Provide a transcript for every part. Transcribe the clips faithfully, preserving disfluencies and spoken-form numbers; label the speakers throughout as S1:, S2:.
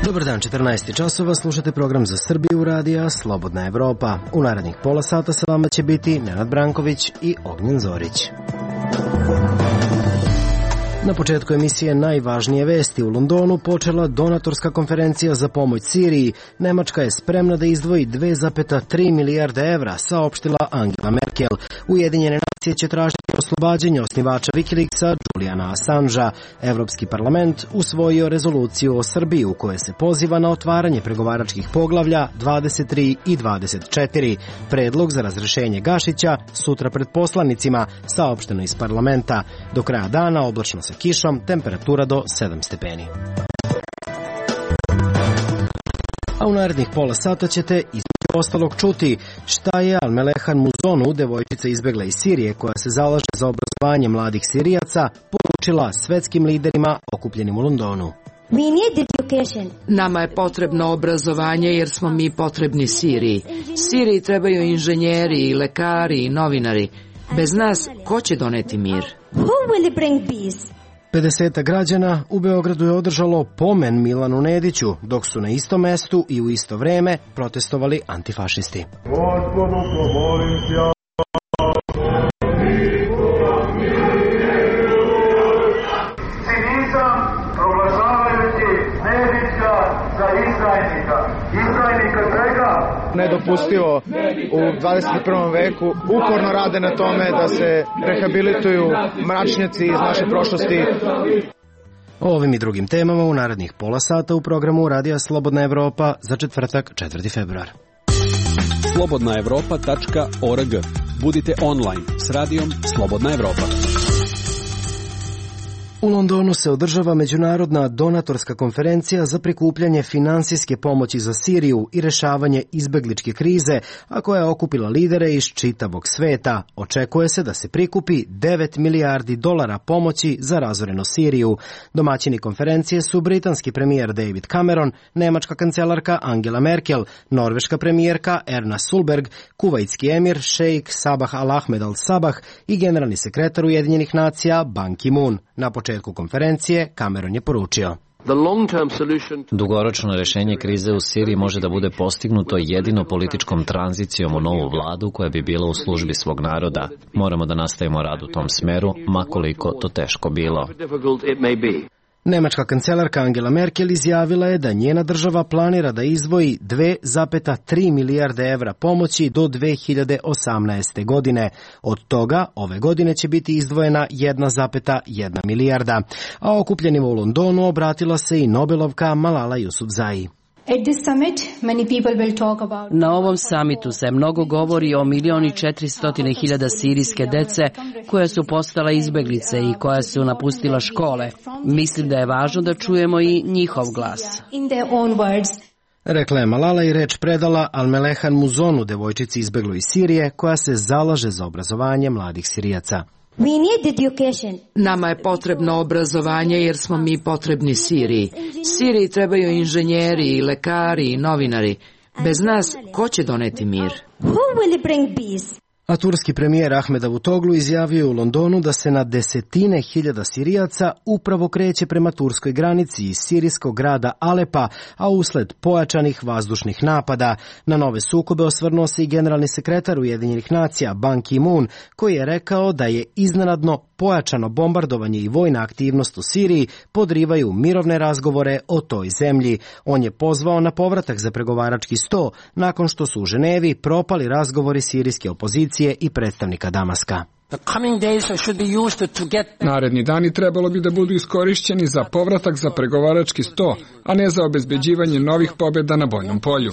S1: Dobar dan, četrnaest časova, slušate program za Srbiju radija Slobodna Evropa. U narednih pola sata sa vama će biti Nenad Branković i Ognjen Zorić. Na početku emisije najvažnije vesti. U Londonu počela donatorska konferencija za pomoć Siriji. Nemačka je spremna da izdvoji dve zarez tri milijarde evra, saopštila Angela Merkel. Ujedinjene nacije će tražiti oslobađanje osnivača Wikileaksa Juliana Assangea. Evropski parlament usvojio rezoluciju o Srbiji u kojoj se poziva na otvaranje pregovaračkih poglavlja dvadeset tri i dvadeset četiri. Predlog za razrešenje Gašića sutra pred poslanicima, saopšteno iz parlamenta. Do kraja dana oblačno sa kišom, temperatura do sedam stepeni. A u narednih pola sata ćete između ostalog čuti šta je Almelehan Muzonu, devojčica izbegla iz Sirije koja se zalaže za obrazovanje mladih Sirijaca, poručila svetskim liderima okupljenim u Londonu.
S2: Nama je potrebno obrazovanje jer smo mi potrebni Siriji. Siriji trebaju inženjeri i lekari i novinari. Bez nas, ko će doneti mir?
S1: pedeset građana u Beogradu je održalo pomen Milanu Nediću, dok su na istom mestu i u isto vreme protestovali antifašisti.
S3: Gospodu, pomolim se. Cinizam proglašavajući Nedića za izdajnika. Izdajnika čega?
S4: Nedopustivo u dvadeset prvom veku uporno rade na tome da se rehabilituju mračnjaci iz naše prošlosti.
S1: O ovim i drugim temama u narednih pola sata u programu Radija Slobodna Evropa za četvrtak, četvrti februar.
S5: slobodna evropa tačka org. Budite online s radijom Slobodna Evropa.
S1: U Londonu se održava međunarodna donatorska konferencija za prikupljanje finansijske pomoći za Siriju i rešavanje izbegličke krize, a koja je okupila lidere iz čitavog sveta. Očekuje se da se prikupi devet milijardi dolara pomoći za razorenu Siriju. Domaćini konferencije su britanski premijer David Cameron, nemačka kancelarka Angela Merkel, norveška premijerka Erna Solberg, kuvajtski emir šejk Sabah Al-Ahmed Al-Sabah i generalni sekretar Ujedinjenih nacija Ban Ki-moon. Na početku konferencije Cameron je poručio:
S6: Dugoročno rešenje krize u Siriji može da bude postignuto jedino političkom tranzicijom u novu vladu koja bi bila u službi svog naroda. Moramo da nastavimo rad u tom smeru, makoliko to teško bilo.
S1: Nemačka kancelarka Angela Merkel izjavila je da njena država planira da izdvoji dve zarez tri milijarde evra pomoći do dve hiljade osamnaeste. godine. Od toga ove godine će biti izdvojena jedna zarez jedna milijarda. A okupljenima u Londonu obratila se i Nobelovka Malala Yousafzai.
S7: Na ovom samitu se mnogo govori o milion i četiristotine hiljada sirijske dece koja su postala izbeglice i koja su napustila škole. Mislim da je važno da čujemo i njihov glas.
S1: Rekla je Malala i reč predala Almelehan Muzonu, devojčici izbegloj iz Sirije koja se zalaže za obrazovanje mladih Sirijaca.
S2: Nama je potrebno obrazovanje jer smo mi potrebni Siriji. Siriji trebaju inženjeri i lekari i novinari. Bez nas, ko će doneti mir?
S1: A turski premijer Ahmed Davutoglu izjavio u Londonu da se na desetine hiljada Sirijaca upravo kreće prema turskoj granici iz sirijskog grada Alepa, a usled pojačanih vazdušnih napada. Na nove sukobe osvrnuo se i generalni sekretar Ujedinjenih nacija Ban Ki-moon, koji je rekao da je iznenadno pojačano bombardovanje i vojna aktivnost u Siriji podrivaju mirovne razgovore o toj zemlji. On je pozvao na povratak za pregovarački sto nakon što su u Ženevi propali razgovori sirijske opozicije i predstavnika Damaska.
S8: Naredni dani trebalo bi da budu iskorišćeni za povratak za pregovarački sto, a ne za obezbeđivanje novih pobjeda na bojnom polju.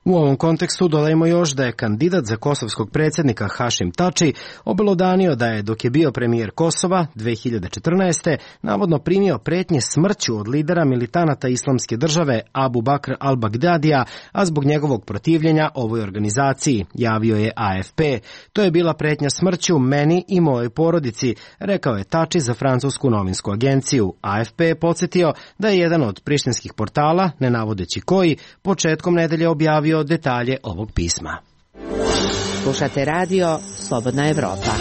S1: U ovom kontekstu dodajmo još da je kandidat za kosovskog predsjednika Hašim Tači obelodanio da je, dok je bio premijer Kosova dve hiljade četrnaeste. navodno primio pretnje smrću od lidera militanata Islamske države Abu Bakr al-Bagdadija, a zbog njegovog protivljenja ovoj organizaciji, javio je A F P. To je bila pretnja smrću meni i mojoj porodici, rekao je Tači za francusku novinsku agenciju. A F P je podsjetio da je jedan od prištinskih portala, ne navodeći koji, početkom nedelje objavio detalje ovog pisma.
S7: Slušate radio Slobodna Evropa.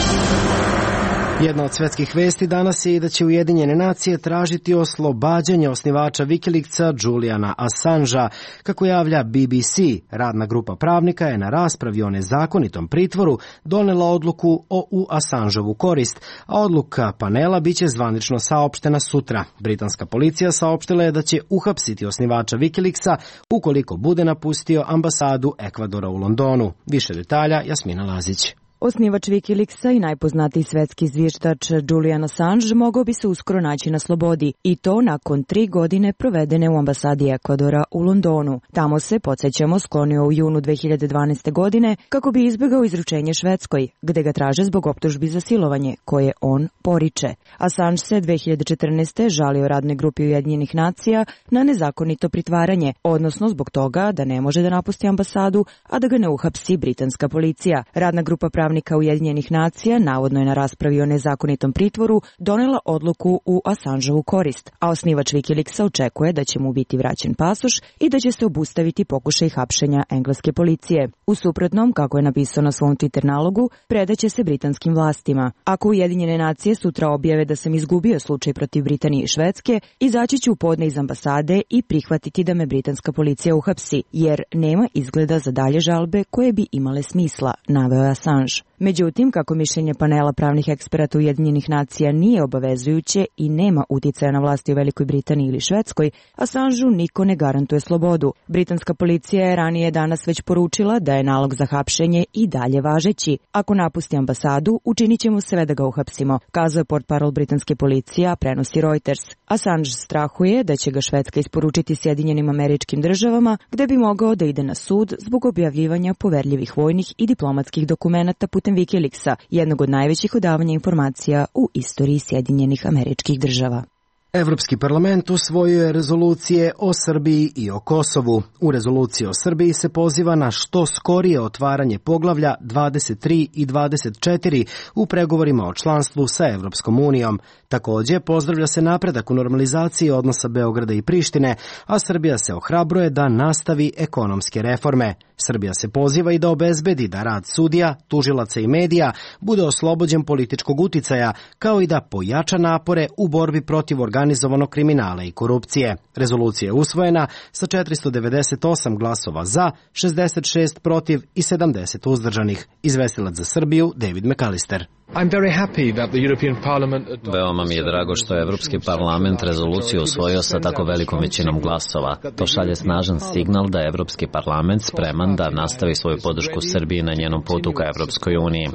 S1: Jedna od svetskih vesti danas je i da će Ujedinjene nacije tražiti oslobađanje osnivača Wikileaksa Juliana Assangea. Kako javlja B B C, radna grupa pravnika je na raspravi o nezakonitom pritvoru donela odluku o u Assangeovu korist, a odluka panela biće zvanično saopštena sutra. Britanska policija saopštila je da će uhapsiti osnivača Wikileaksa ukoliko bude napustio ambasadu Ekvadora u Londonu. Više detalja Jasmina Lazić.
S9: Osnivač Wikileaksa i najpoznatiji svetski zviždač Julian Assange mogao bi se uskoro naći na slobodi, i to nakon tri godine provedene u ambasadi Ekvadora u Londonu. Tamo se, podsjećamo, sklonio u junu dve hiljade dvanaeste. godine kako bi izbegao izručenje Švedskoj, gde ga traže zbog optužbi za silovanje, koje on poriče. Assange se dve hiljade četrnaeste. žalio radnoj grupi Ujedinjenih nacija na nezakonito pritvaranje, odnosno zbog toga da ne može da napusti ambasadu, a da ga ne uhapsi britanska policija. Radna grupa pravnika Ujedinjenih nacija, navodno je na raspravi o nezakonitom pritvoru, donela odluku u Assangeovu korist, a osnivač Wikileaksa očekuje da će mu biti vraćen pasoš i da će se obustaviti pokušaj hapšenja engleske policije. U suprotnom, kako je napisao na svom Twitter nalogu, predaće se britanskim vlastima. Ako Ujedinjene nacije sutra objave da sam izgubio slučaj protiv Britanije i Švedske, izaći ću u podne iz ambasade i prihvatiti da me britanska policija uhapsi, jer nema izgleda za dalje žalbe koje bi imale smisla, naveo je Assange. Međutim, kako mišljenje panela pravnih eksperata Ujedinjenih nacija nije obavezujuće i nema uticaja na vlasti u Velikoj Britaniji ili Švedskoj, Assangeu niko ne garantuje slobodu. Britanska policija je ranije danas već poručila da je nalog za hapšenje i dalje važeći. Ako napusti ambasadu, učinit ćemo sve da ga uhapsimo, kazao je portparol britanske policije, a prenosi Reuters. Assange strahuje da će ga Švedska isporučiti Sjedinjenim Američkim Državama, gde bi mogao da ide na sud zbog objavljivanja poverljivih vojnih i diplomatskih dokumenata putem Wikileaksa, jednog od najvećih odavanja informacija u istoriji Sjedinjenih Američkih Država.
S1: Evropski parlament usvojio je rezolucije o Srbiji i o Kosovu. U rezoluciji o Srbiji se poziva na što skorije otvaranje poglavlja dvadeset tri i dvadeset četiri u pregovorima o članstvu sa Evropskom unijom. Takođe, pozdravlja se napredak u normalizaciji odnosa Beograda i Prištine, a Srbija se ohrabruje da nastavi ekonomske reforme. Srbija se poziva i da obezbedi da rad sudija, tužilaca i medija bude oslobođen političkog uticaja, kao i da pojača napore u borbi protiv organizovanog kriminala i korupcije. Rezolucija je usvojena sa četiristo devedeset osam glasova za, šezdeset šest protiv i sedamdeset uzdržanih. Izvestilac za Srbiju David McAllister.
S6: Veoma mi je drago što je Evropski parlament rezoluciju usvojio sa tako velikom većinom glasova. To šalje snažan signal da je Evropski parlament spreman da nastavi svoju podršku Srbiji na njenom putu ka Evropskoj uniji.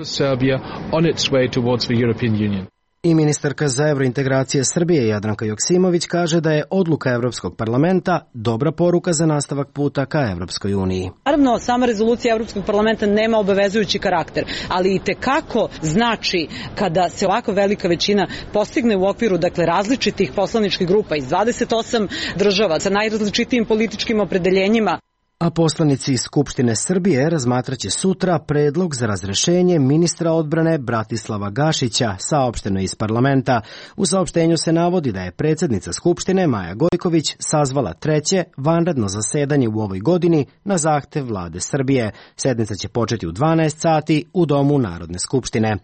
S1: I ministarka za evrointegracije Srbije Jadranka Joksimović kaže da je odluka Evropskog parlamenta dobra poruka za nastavak puta ka Evropskoj uniji.
S10: Naravno, sama rezolucija Evropskog parlamenta nema obavezujući karakter, ali i tekako znači kada se ovako velika većina postigne u okviru dakle različitih poslaničkih grupa iz dvadeset osam država sa najrazličitijim političkim opredeljenjima.
S1: A poslanici iz Skupštine Srbije razmatraće sutra predlog za razrešenje ministra odbrane Bratislava Gašića, saopšteno iz parlamenta. U saopštenju se navodi da je predsjednica Skupštine Maja Gojković sazvala treće vanredno zasedanje u ovoj godini na zahtev vlade Srbije. Sednica će početi u dvanaest sati u Domu Narodne skupštine.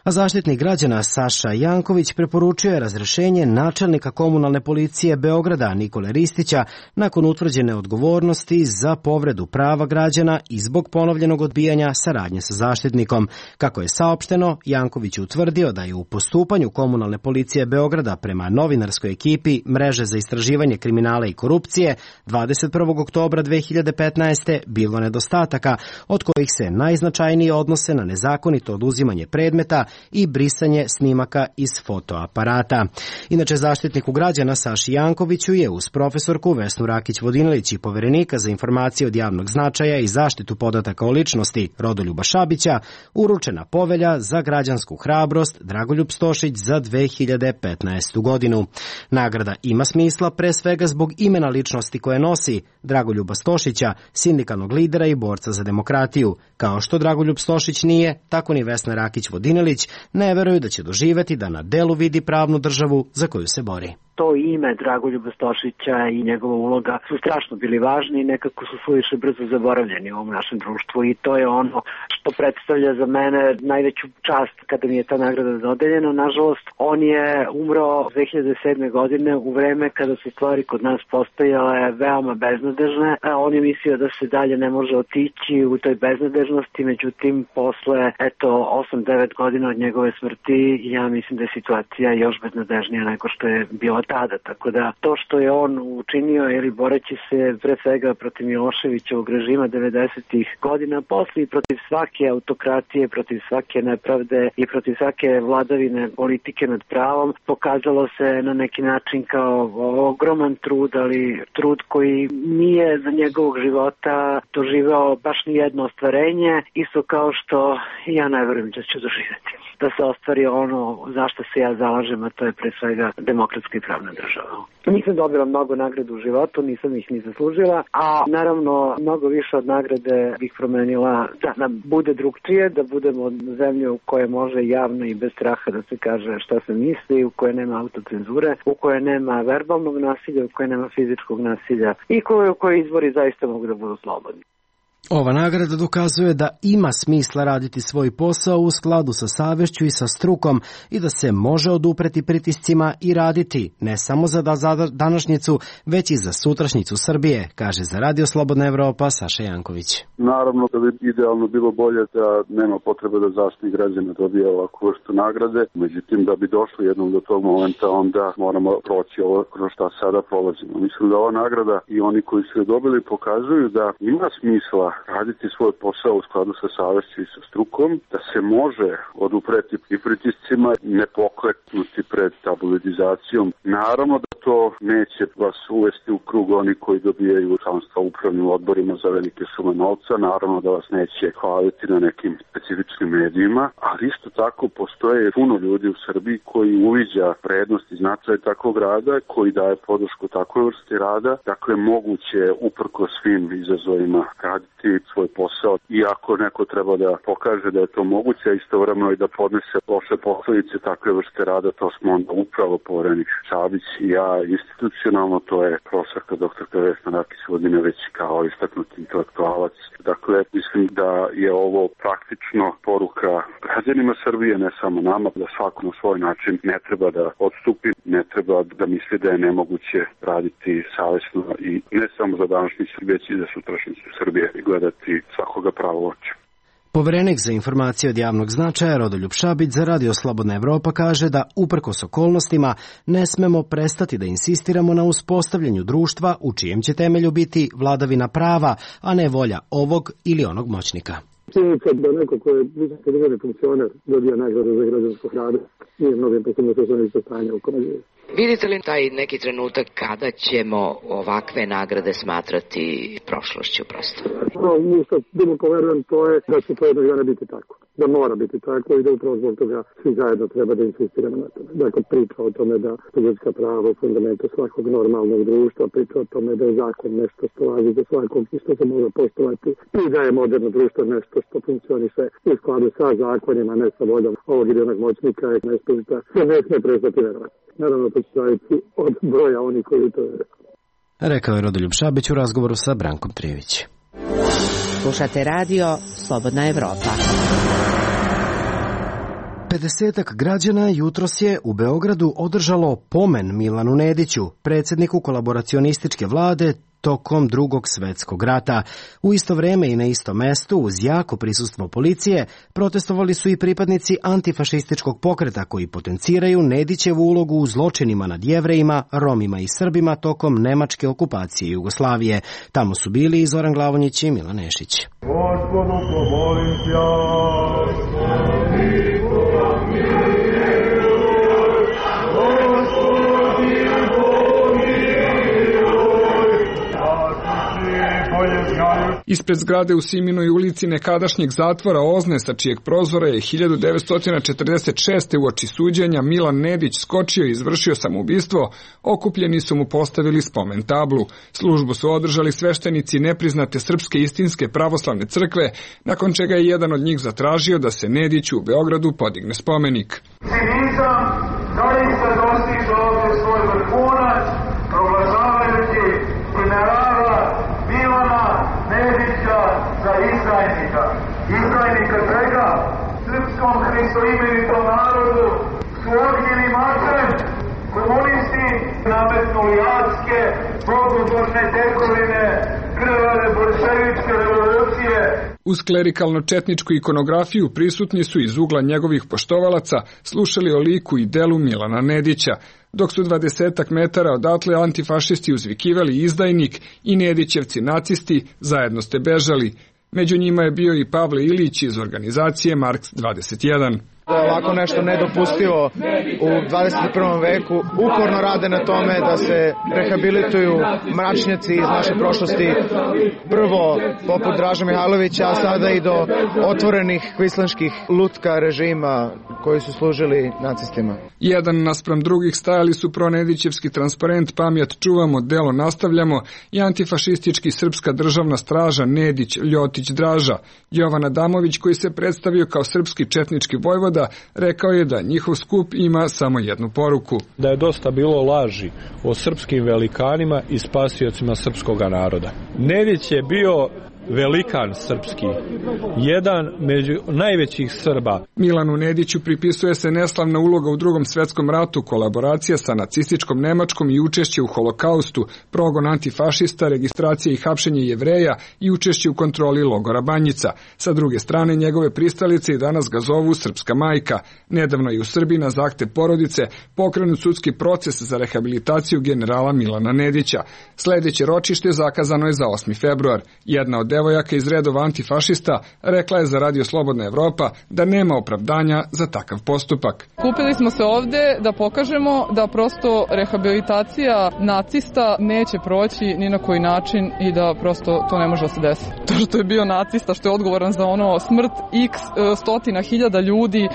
S1: A zaštitnik građana Saša Janković preporučio je razrešenje načelnika komunalne policije Beograda Nikole Ristića nakon utvrđene odgovornosti za povredu prava građana i zbog ponovljenog odbijanja saradnje sa zaštitnikom. Kako je saopšteno, Janković je utvrdio da je u postupanju komunalne policije Beograda prema novinarskoj ekipi Mreže za istraživanje kriminala i korupcije dvadeset prvog oktobra dve hiljade petnaeste. bilo nedostataka, od kojih se najznačajnije odnose na nezakonito oduzimanje predmeta i brisanje snimaka iz fotoaparata. Inače, zaštitniku građana Saši Jankoviću je uz profesorku Vesnu Rakić-Vodinilić i poverenika za informacije od javnog značaja i zaštitu podataka o ličnosti Rodoljuba Šabića uručena povelja za građansku hrabrost Dragoljub Stošić za dve hiljade petnaestu. godinu. Nagrada ima smisla pre svega zbog imena ličnosti koje nosi Dragoljuba Stošića, sindikalnog lidera i borca za demokratiju. Kao što Dragoljub Stošić nije, tako ni Vesna Rakić-Vodinilić ne veruju da će doživeti da na delu vidi pravnu državu za koju se bori.
S11: to ime Dragoljuba Stošića i njegova uloga su strašno bili važni i nekako su suviše brzo zaboravljeni u ovom našem društvu i to je ono što predstavlja za mene najveću čast kada mi je ta nagrada dodeljena. Nažalost, on je umro dve hiljade sedme. godine u vreme kada su stvari kod nas postajale veoma beznadežne. On je mislio da se dalje ne može otići u toj beznadežnosti, međutim, posle eto osam devet godina od njegove smrti, ja mislim da je situacija još beznadežnija nego što je bila tada. Tako da to što je on učinio, ili boreći se pre svega protiv Miloševićevog režima devedesetih godina, posle i protiv svake autokratije, protiv svake nepravde i protiv svake vladavine politike nad pravom, pokazalo se na neki način kao ogroman trud, ali trud koji nije za njegovog života doživeo baš ni jedno ostvarenje, isto kao što ja ne verujem da ću doživjeti. Da se ostvari ono zašto se ja zalažem, a to je pre svega demokratska i pravna država. Nisam dobila mnogo nagrada u životu, nisam ih ni zaslužila, a naravno mnogo više od nagrade bih promenila da nam bude drugčije, da budemo zemlje u kojoj može javno i bez straha da se kaže šta se misli, u kojoj nema autocenzure, u kojoj nema verbalnog nasilja, u kojoj nema fizičkog nasilja i u kojoj izbori zaista mogu da budu slobodni.
S1: Ova nagrada dokazuje da ima smisla raditi svoj posao u skladu sa savešću i sa strukom i da se može odupreti pritiscima i raditi ne samo za današnjicu, već i za sutrašnjicu Srbije, kaže za Radio Slobodna Evropa Saša Janković.
S12: Naravno da bi idealno bilo bolje da nema potrebe da Zaštitnik građana dobije ovakvu vrstu nagrade, međutim da bi došli jednom do tog momenta onda moramo proći ovo kroz šta sada prolazimo. Mislim da ova nagrada i oni koji su je dobili pokazuju da ima smisla raditi svoj posao u skladu sa savešću i sa strukom, da se može odupreti i pritiscima, ne pokleknuti pred tabloidizacijom. Naravno da to neće vas uvesti u krug oni koji dobijaju članstva u upravnim odborima za velike sume novca, naravno da vas neće hvaliti na nekim specifičnim medijima, ali isto tako postoje puno ljudi u Srbiji koji uviđa vrednost i značaj takvog rada, koji daje podršku takvoj vrsti rada, dakle moguće uprko svim izazovima raditi svoj posao. I ako neko treba da pokaže da je to moguće, a istovremeno i da podnese loše posledice takve vrste rada, to smo onda upravo poverenik Šabić i ja institucionalno, to je profesorka doktorka Vesna Rakić Vodineveć kao istaknuti intelektualac. Dakle, mislim da je ovo praktično poruka građanima Srbije, ne samo nama, da svako na svoj način ne treba da odstupi, ne treba da misli da je nemoguće raditi savesno i ne samo za današnjicu, već i za sutrašnjicu Srbije i gledati svakoga pravo oče.
S1: Poverenik za informacije od javnog značaja Rodoljub Šabić za Radio Slobodna Evropa kaže da uprkos okolnostima ne smemo prestati da insistiramo na uspostavljanju društva u čijem će temelju biti vladavina prava, a ne volja ovog ili onog moćnika.
S13: Činjenica da neko ko je visoki državni funkcioner dobija nagradu za građanskog rada nije mnogim posebno socijalnih stanja u kome živi.
S14: Vidite li taj neki trenutak kada ćemo ovakve nagrade smatrati prošlošću prosto?
S13: No, mi što duboko verujem to je da će to jednog dana biti tako. Da mora biti tako i da upravo zbog toga svi zajedno treba da insistiramo na tome. Dakle, priča o tome da ljudska prava u fundamentu svakog normalnog društva, priča o tome da je zakon nešto što važi za svakog i što se može poštovati i da je moderno društvo nešto što funkcioniše u skladu sa zakonima, ne sa voljom ovog ili onog moćnika i nespozita, se ne sme prestati verovati. Naravno, to će zaviti od broja onih koji to je rekao.
S1: Rekao je Rodoljub Šabić u razgovoru sa Brankom Trijević.
S15: Slušate radio Slobodna Evropa.
S1: pedesetak građana jutros je u Beogradu održalo pomen Milanu Nediću, predsjedniku kolaboracionističke vlade tokom Drugog svetskog rata. U isto vreme i na istom mestu, uz jako prisustvo policije, protestovali su i pripadnici antifašističkog pokreta koji potenciraju Nedićevu ulogu u zločinima nad Jevrejima, Romima i Srbima tokom nemačke okupacije Jugoslavije. Tamo su bili i Zoran Glavonjić i Milan Nešić.
S3: Gospodu, pomolim se,
S8: Ispred zgrade u Siminoj ulici nekadašnjeg zatvora Ozne, sa čijeg prozora je hiljadu devetsto četrdeset šeste uoči suđenja Milan Nedić skočio i izvršio samoubistvo, okupljeni su mu postavili spomen tablu. Službu su održali sveštenici nepriznate Srpske istinske pravoslavne crkve, nakon čega je jedan od njih zatražio da se Nediću u Beogradu podigne spomenik.
S3: Cinizam zaista dostiže ovdje svoj vrhunac. imenitom narodu su odnijeli mačem, komunisti nametnuli adske, mnogobožne tekovine, krvave bolševičke revolucije.
S8: Uz klerikalno-četničku ikonografiju prisutni su iz ugla njegovih poštovalaca slušali o liku i delu Milana Nedića, dok su dvadesetak metara odatle antifašisti uzvikivali izdajnik i Nedićevci nacisti zajedno ste bežali. Među njima je bio i Pavle Ilić iz organizacije Marks dvadeset jedan.
S4: Da je ovako nešto nedopustivo u dvadeset prvom veku. Uporno rade na tome da se rehabilituju mračnjaci iz naše prošlosti. Prvo poput Draža Mihajlovića, a sada i do otvorenih kvislinških lutka režima koji su služili nacistima.
S8: Jedan naspram drugih stajali su pronedićevski transparent Pamjat čuvamo, delo nastavljamo i antifašistički Srpska državna straža Nedić, Ljotić, Draža. Jovan Adamović, koji se predstavio kao srpski četnički vojvoda, rekao je da njihov skup ima samo jednu poruku.
S16: Da je dosta bilo laži o srpskim velikanima i spasiocima srpskog naroda. Nedić je bio velikan srpski, jedan među najvećih Srba.
S8: Milanu Nediću pripisuje se neslavna uloga u Drugom svetskom ratu, kolaboracija sa nacističkom Nemačkom i učešće u holokaustu, progon antifašista, registracija i hapšenje Jevreja i učešće u kontroli logora Banjica. Sa druge strane, njegove pristalice i danas ga zovu Srpska majka. Nedavno je u Srbiji na zahtev porodice pokrenut sudski proces za rehabilitaciju generala Milana Nedića. Sledeće ročište zakazano je za osmi februar. Jedna od devojaka iz redova antifašista rekla je za Radio Slobodna Evropa da nema opravdanja za takav postupak.
S17: Kupili smo se ovde da pokažemo da prosto rehabilitacija nacista neće proći ni na koji način i da prosto to ne može da se desi. To što je bio nacista, što je odgovoran za ono smrt x stotina hiljada ljudi,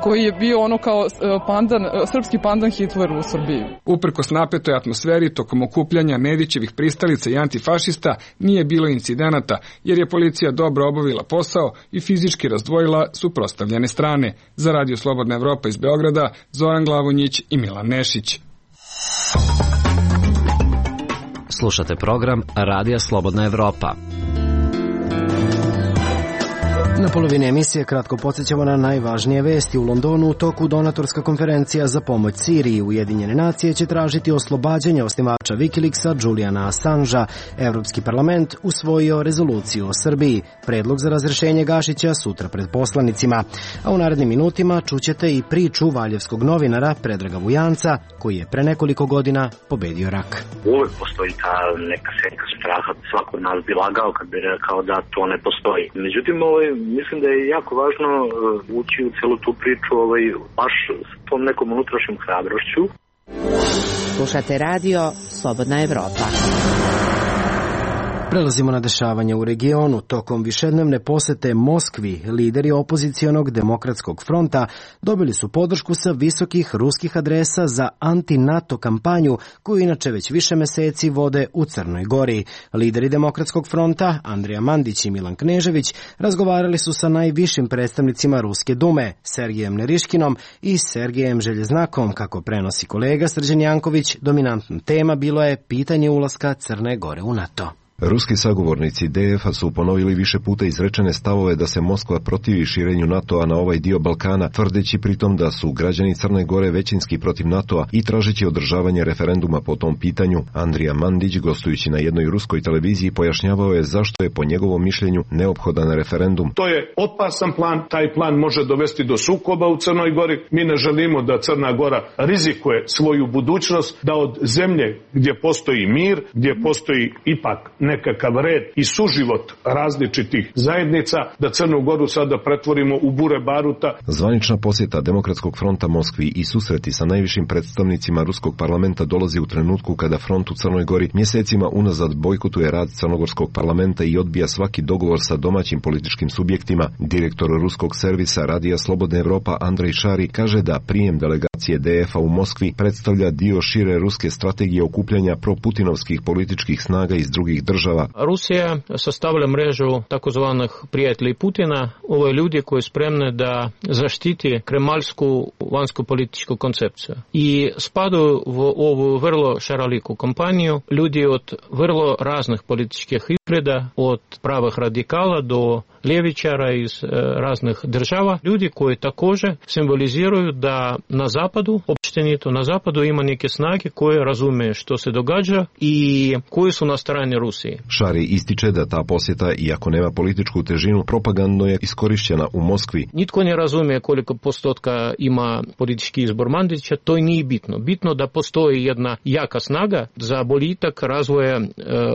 S17: koji je bio ono kao pandan, srpski pandan Hitleru u Srbiji.
S8: Uprkos napetoj atmosferi tokom okupljanja Nedićevih pristalica i antifašista nije bilo incidenata, jer je policija dobro obavila posao i fizički razdvojila suprotstavljene strane. Za Radio Slobodna Evropa iz Beograda, Zoran Glavonjić i Milan Nešić.
S6: Slušate program Radija Slobodna Evropa.
S1: Na polovini emisije kratko podsjećamo na najvažnije vesti. U Londonu u toku donatorska konferencija za pomoć Siriji. Ujedinjene nacije će tražiti oslobađanje osnivača Wikileaksa Juliana Assangea. Evropski parlament usvojio rezoluciju o Srbiji. Predlog za razrešenje Gašića sutra pred poslanicima. A u narednim minutima čućete i priču valjevskog novinara Predraga Vujanca, koji je pre nekoliko godina pobedio rak.
S18: Uvek postoji ta neka senka straha. Svako od nas bi lagao kad bi rekao da to ne postoji. Međutim, ovaj mislim da je jako važno ući u celu tu priču ovaj, baš s tom nekom unutrašnjom hrabrošću.
S15: Slušate radio Slobodna Evropa.
S1: Prelazimo na dešavanje u regionu. Tokom višednevne posete Moskvi, lideri opozicionog demokratskog fronta dobili su podršku sa visokih ruskih adresa za anti-NATO kampanju koju inače već više meseci vode u Crnoj Gori. Lideri demokratskog fronta, Andrija Mandić i Milan Knežević, razgovarali su sa najvišim predstavnicima Ruske dume, Sergejem Neriškinom i Sergejem Željeznakom. Kako prenosi kolega Srđan Janković, dominantna tema bilo je pitanje ulaska Crne Gore u NATO.
S19: Ruski sagovornici D F-a su ponovili više puta izrečene stavove da se Moskva protivi širenju NATO-a na ovaj dio Balkana, tvrdeći pritom da su građani Crne Gore većinski protiv NATO-a i tražeći održavanje referenduma po tom pitanju. Andrija Mandić, gostujući na jednoj ruskoj televiziji, pojašnjavao je zašto je po njegovom mišljenju neophodan referendum.
S20: To je opasan plan, taj plan može dovesti do sukoba u Crnoj Gori. Mi ne želimo da Crna Gora rizikuje svoju budućnost, da od zemlje gdje postoji mir, gdje postoji ipak nekakav red i suživot različitih zajednica, da Crnu Goru sada pretvorimo u bure baruta.
S19: Zvanična posjeta Demokratskog fronta Moskvi i susreti sa najvišim predstavnicima Ruskog parlamenta dolazi u trenutku kada front u Crnoj Gori mjesecima unazad bojkotuje rad Crnogorskog parlamenta i odbija svaki dogovor sa domaćim političkim subjektima. Direktor ruskog servisa Radija Slobodna Evropa Andrej Šari kaže da prijem delegacije D F-a u Moskvi predstavlja dio šire ruske strategije okupljanja proputinovskih političkih snaga iz drugih država.
S21: Rusija sastavlja mrežu takozvanih prijatelji Putina, ovo je ljudi koji spremne da zaštiti kremaljsku vanjsku političku koncepciju. I spadaju u ovu vrlo šaroliku kampanju ljudi od vrlo raznih političkih izgleda, od pravih radikala do ljevičara iz e, raznih država, ljudi koji također simboliziraju da na zapadu, općenito na zapadu ima neke snage koje razume što se događa i koji su na strani Rusije.
S19: Šari ističe da ta posjeta, iako nema političku težinu, propagandno je iskorišćena u Moskvi.
S21: Nitko ne razumije koliko postotka ima politički izbor Mandića, to i nije bitno. Bitno da postoji jedna jaka snaga za boljitak razvoja e,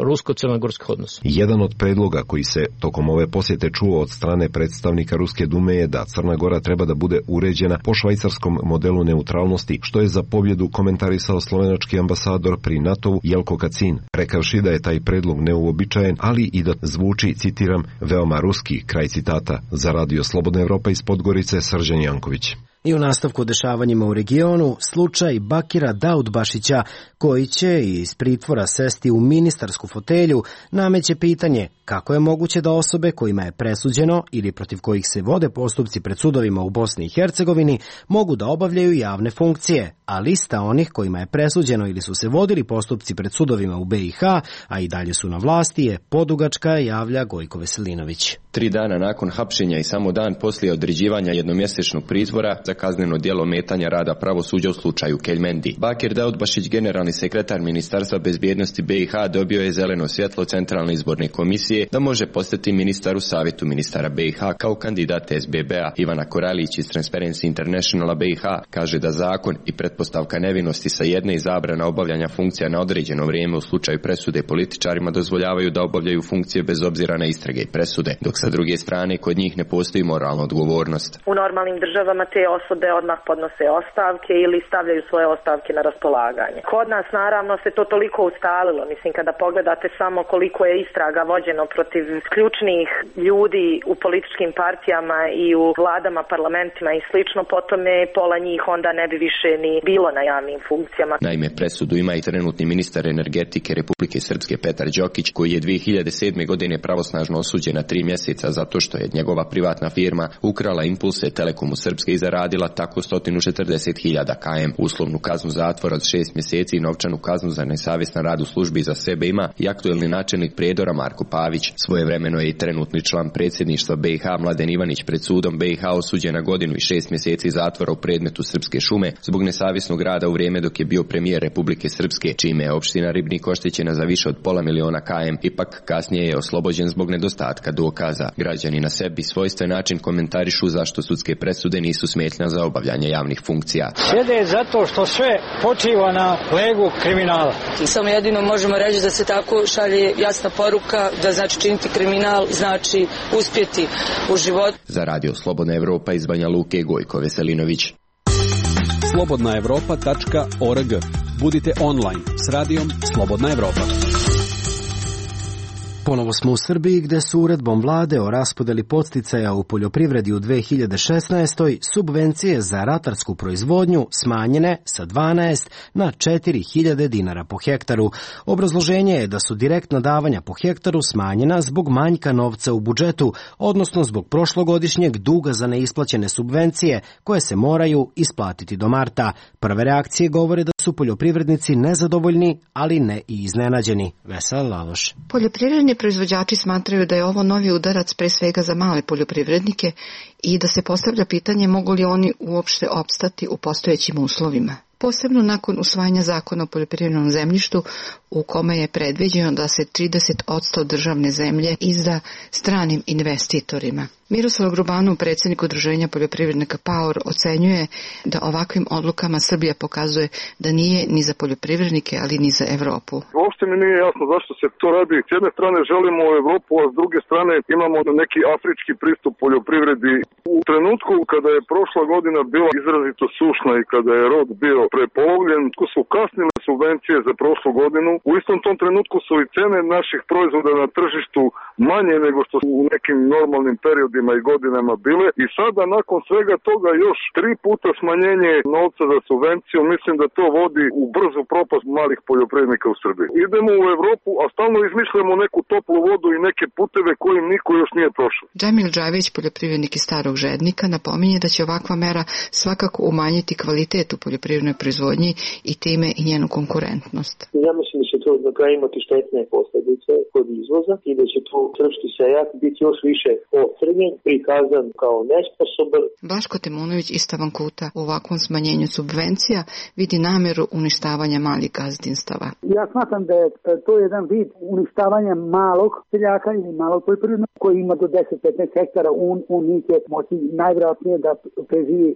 S21: rusko-crnogorskih odnosa.
S19: Jedan od predloga koji se tokom ove posjete čuo od strane predstavnika Ruske dume je da Crna Gora treba da bude uređena po švajcarskom modelu neutralnosti, što je za pobjedu komentarisao slovenački ambasador pri NATO-u Jelko Kacin, rekavši da je taj predlog neuobičajen, ali i da zvuči, citiram, veoma ruski, kraj citata. Za Radio Slobodna Evropa iz Podgorice, Srđan Janković.
S1: I u nastavku dešavanjima u regionu, slučaj Bakira Daudbašića, koji će iz pritvora sesti u ministarsku fotelju, nameće pitanje kako je moguće da osobe kojima je presuđeno ili protiv kojih se vode postupci pred sudovima u Bosni i Hercegovini mogu da obavljaju javne funkcije, a lista onih kojima je presuđeno ili su se vodili postupci pred sudovima u B i H, a i dalje su na vlasti, je podugačka, javlja Gojko Veselinović.
S5: Tri dana nakon hapšenja i samo dan poslije određivanja jednomjesečnog pritvora za kazneno djelo metanja rada pravosuđa u slučaju Keljmendi, Bakir Daudbašić, generalni sekretar Ministarstva bezbjednosti B i H, dobio je zeleno svjetlo Centralne izborne komisije da može postati ministar u savjetu ministara B i H kao kandidat S B B-a. Ivana Koralić iz Transparency Internationala B i H kaže da zakon i pretpostavka nevinosti sa jedne i zabrana obavljanja funkcija na određeno vrijeme u slučaju presude političarima dozvoljavaju da obavljaju funkcije bez obzira na istrage i presude, dok sa druge strane kod njih ne postoji moralna odgovornost.
S22: U normalnim državama te osobe odmah podnose ostavke ili stavljaju svoje ostavke na raspolaganje. Kod nas naravno se to toliko ustalilo, mislim kada pogledate samo koliko je istraga vođeno protiv ključnih ljudi u političkim partijama i u vladama, parlamentima i slično, potom je pola njih onda ne bi više ni bilo na javnim funkcijama.
S5: Naime, presudu ima i trenutni ministar energetike Republike Srpske Petar Đokić, koji je dvije hiljade sedme. godine pravosnažno osuđen na tri mjeseca zato što je njegova privatna firma ukrala impulse Telekomu Srpske i zaradila tako sto četrdeset hiljada km. Uslovnu kaznu zatvora od šest mjeseci i novčanu kaznu za nesavjestan rad u službi za sebe ima i aktuelni načelnik Prijedora Marko Pavić. Svojevremeno je i trenutni član predsjedništva B i H Mladen Ivanić pred sudom B i H osuđen na godinu i šest mjeseci zatvora u predmetu Srpske šume zbog nesavjesnog rada u vrijeme dok je bio premijer Republike Srpske, čime je opština Ribnik oštećena za više od pola miliona km. Ipak kasnije je oslobođen zbog nedostatka dokaza. Građani na sebi svojstven način komentarišu zašto sudske presude nisu smetnja za obavljanje javnih funkcija.
S23: Sjede zato što sve počiva na legu kriminala.
S24: Samo jedino možemo reći da se tako šalje jasna poruka da znači činiti kriminal znači uspjeti u životu.
S5: Za Radio Slobodna Evropa iz Banja Luke, Gojko Veselinović.
S25: slobodna evropa tačka org. Budite online s radijom Slobodna Evropa.
S1: Ponovo smo u Srbiji, gde su uredbom vlade o raspodeli podsticaja u poljoprivredi u dve hiljade šesnaestoj. subvencije za ratarsku proizvodnju smanjene sa dvanaest na četiri hiljade dinara po hektaru. Obrazloženje je da su direktna davanja po hektaru smanjena zbog manjka novca u budžetu, odnosno zbog prošlogodišnjeg duga za neisplaćene subvencije koje se moraju isplatiti do marta. Prve reakcije govore da su poljoprivrednici nezadovoljni, ali ne i iznenađeni. Vesela Laloš.
S26: Poljoprivredni proizvođači smatraju da je ovo novi udarac pre svega za male poljoprivrednike i da se postavlja pitanje mogu li oni uopšte opstati u postojećim uslovima. Posebno nakon usvajanja zakona o poljoprivrednom zemljištu u kome je predviđeno da se trideset posto državne zemlje izda stranim investitorima. Miroslav Grubanov, predsjednik udruženja poljoprivrednika PAOR, ocenjuje da ovakvim odlukama Srbija pokazuje da nije ni za poljoprivrednike, ali ni za Evropu.
S12: Uopšte mi nije jasno zašto se to radi. S jedne strane želimo u Evropu, a s druge strane imamo neki afrički pristup poljoprivredi. U trenutku kada je prošla godina bila izrazito sušna i kada je rod bio prepolovljen, su kasnile subvencije za prošlu godinu. U istom tom trenutku su i cene naših proizvoda na tržištu manje nego što su u nekim normalnim periodima i godinama bile. I sada nakon svega toga još tri puta smanjenje novca za subvenciju, mislim da to vodi u brzu propast malih poljoprivrednika u Srbiji. Idemo u Evropu, a stalno izmišljamo neku toplu vodu i neke puteve kojim niko još nije prošao.
S26: Džamil Džavić, poljoprivrednik iz Starog Žednika, napominje da će ovakva mera svakako umanjiti kvalitet u poljoprivrednoj proizvodnji i time i njenu konkurentnost.
S27: Ja mislim da
S2: će to na kraju imati štetne posljedice kod izvoza i da će tu srpski seljak biti još više ocrnjen, prikazan kao nesposoban.
S26: Blaško Temunović iz Tavankuta u ovakvom smanjenju subvencija vidi nameru uništavanja malih gazdinstava.
S7: Ja smatram da je to jedan vid uništavanja malog seljaka ili malog poljoprivrednog koji ima do deset do petnaest hektara, on, on neće moći najvjerojatnije da preživi.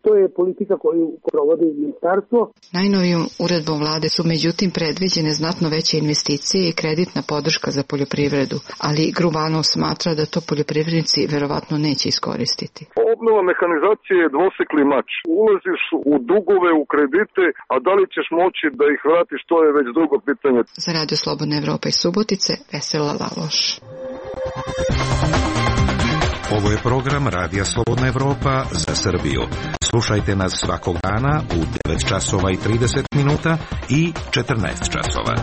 S7: To je politika koju provodi ministarstvo.
S26: Najnovijom uredbom vlade su međutim predviđene znatno veće investicije i kreditna podrška za poljoprivredu, ali Grubanov smatra da to poljoprivrednici verovatno neće iskoristiti.
S12: Obnova mehanizacije je dvosekli mač. Ulaziš u dugove, u kredite, a da li ćeš moći da ih vratiš, to je već drugo pitanje.
S26: Za Radio Slobodna Evropa iz Subotice, Vesela Laloš.
S9: Ovo je program Radija Slobodna Evropa za Srbiju. Slušajte nas svakog dana u devet časova i trideset minuta i četrnaest časova.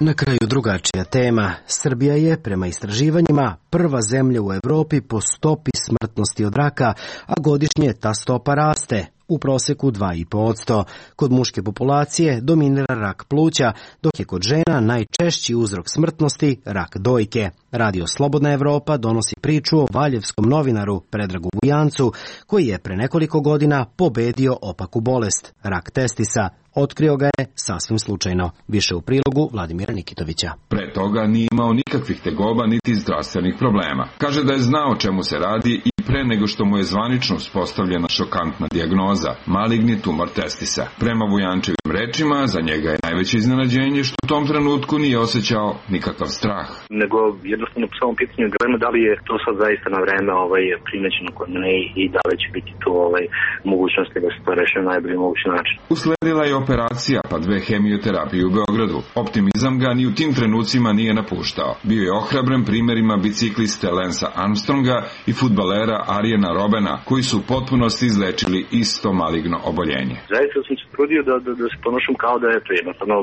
S1: Na kraju drugačija tema. Srbija je, prema istraživanjima, prva zemlja u Evropi po stopi smrtnosti od raka, a godišnje ta stopa raste. U proseku dva i po posto. Kod muške populacije dominira rak pluća, dok je kod žena najčešći uzrok smrtnosti rak dojke. Radio Slobodna Evropa donosi priču o valjevskom novinaru Predragu Vujancu, koji je pre nekoliko godina pobedio opaku bolest, rak testisa. Otkrio ga je sasvim slučajno. Više u prilogu Vladimira Nikitovića.
S10: Pre toga nije imao nikakvih tegoba niti zdravstvenih problema. Kaže da je znao čemu se radi i pre nego što mu je zvanično uspostavljena šokantna dijagnoza, maligni tumor testisa. Prema Vujančevim rečima, za njega je najveće iznenađenje što u tom trenutku nije osjećao nikakav strah.
S18: Nego jednostavno po samom pitanju dilema da li je to sad zaista na vreme ovaj, primećeno kod mene i da li će biti tu ovaj, mogućnosti da se to reši na najbolji mogući način.
S10: Usledila je operacija pa dve hemioterapije u Beogradu. Optimizam ga ni u tim trenucima nije napuštao. Bio je ohrabren primjerima bicikliste Lensa Armstronga i fudbalera Arijena Robena, koji su u potpunosti izlečili isto maligno oboljenje.
S18: Zaista sam se trudio da, da, da se ponošam kao da je to jednostavno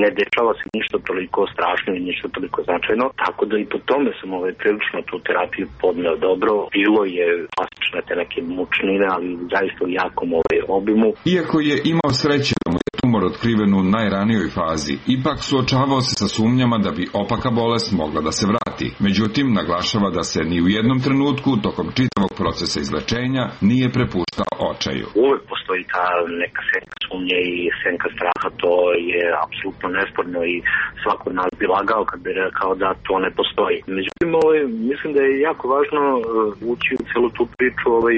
S18: ne dešava se ništa toliko strašno i ništa toliko značajno, tako da i po tome sam ovaj, prilično tu terapiju podneo dobro. Bilo je klasične te neke mučnine, ali zaista u jakom ovaj, obimu.
S10: Iako je imao sreće da mu je tumor otkriven u najranijoj fazi, ipak suočavao se sa sumnjama da bi opaka bolest mogla da se vrati. Međutim, naglašava da se ni u jednom trenutku tokom čitavog procesa izlečenja nije prepuštao očaju.
S18: Uvek postoji ta neka senka sumnje i senka straha, to je apsolutno nesporno i svako od nas bi lagao kad bi rekao da to ne postoji. Međutim, ovaj, mislim da je jako važno ući u celu tu priču ovaj,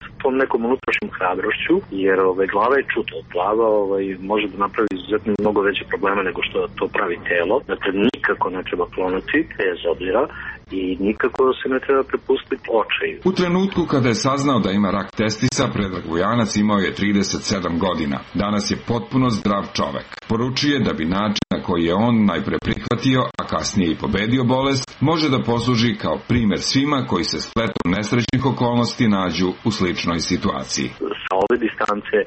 S18: s tom nekom unutrašnjom hrabrošću, jer ovaj, glava je čuta. Glava ovaj, može da napravi izuzetno mnogo veće probleme nego što to pravi telo. Dakle, nikako ne treba klonuti, bez obzira, i nikako se ne treba prepustiti očaju.
S10: U trenutku kada je saznao da ima rak testisa, Predrag Vujanac imao je trideset sedam godina. Danas je potpuno zdrav čovek. Poručuje da bi način na koji je on najpre prihvatio, a kasnije i pobedio bolest, može da posluži kao primer svima koji se spletom nesrećnih okolnosti nađu u sličnoj situaciji.
S18: Sa ove distance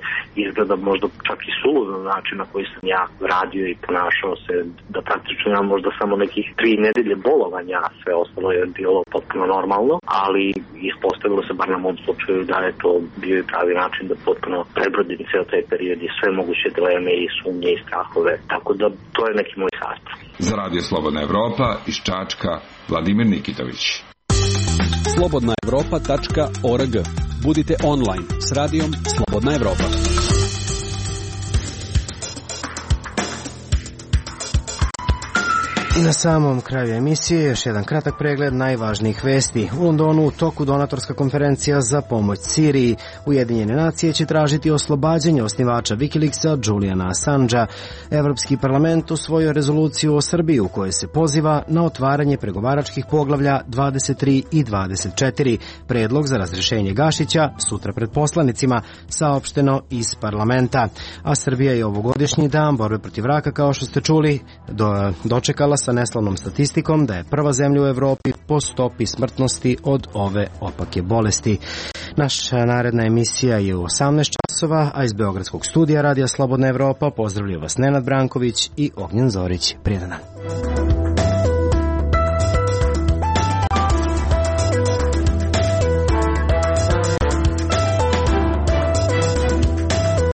S18: izgleda možda čak i suludo način na koji sam ja radio i ponašao se, da praktično imam možda samo nekih tri nedelje bolovanja, sve ostalo je bilo potpuno normalno, ali ispostavilo se bar na mom slučaju da je to bio i pravi način da potpuno prebrodim ceo taj period i sve moguće dileme i sumnje i strahove, tako da to je neki moj sastav.
S10: Za Radio Slobodna Evropa iz Čačka, Vladimir Nikitović.
S25: slobodna evropa tačka org. Budite online s radijom Slobodna Evropa.
S1: I na samom kraju emisije još jedan kratak pregled najvažnijih vesti. U Londonu u toku donatorska konferencija za pomoć Siriji. Ujedinjene nacije će tražiti oslobađanje osnivača Wikileaksa Juliana Assangea. Evropski parlament usvojio rezoluciju o Srbiji u kojoj se poziva na otvaranje pregovaračkih poglavlja dvadeset tri i dvadeset četiri. Predlog za razrešenje Gašića sutra pred poslanicima, saopšteno iz parlamenta. A Srbija je ovogodišnji dan borbe protiv raka, kao što ste čuli, do, dočekala sa neslavnom statistikom da je prva zemlja u Evropi po stopi smrtnosti od ove opake bolesti. Naša naredna emisija je u osamnaest časova, a iz Beogradskog studija Radija Slobodna Evropa pozdravljaju vas Nenad Branković i Ognjen Zorić. Prijedan dan.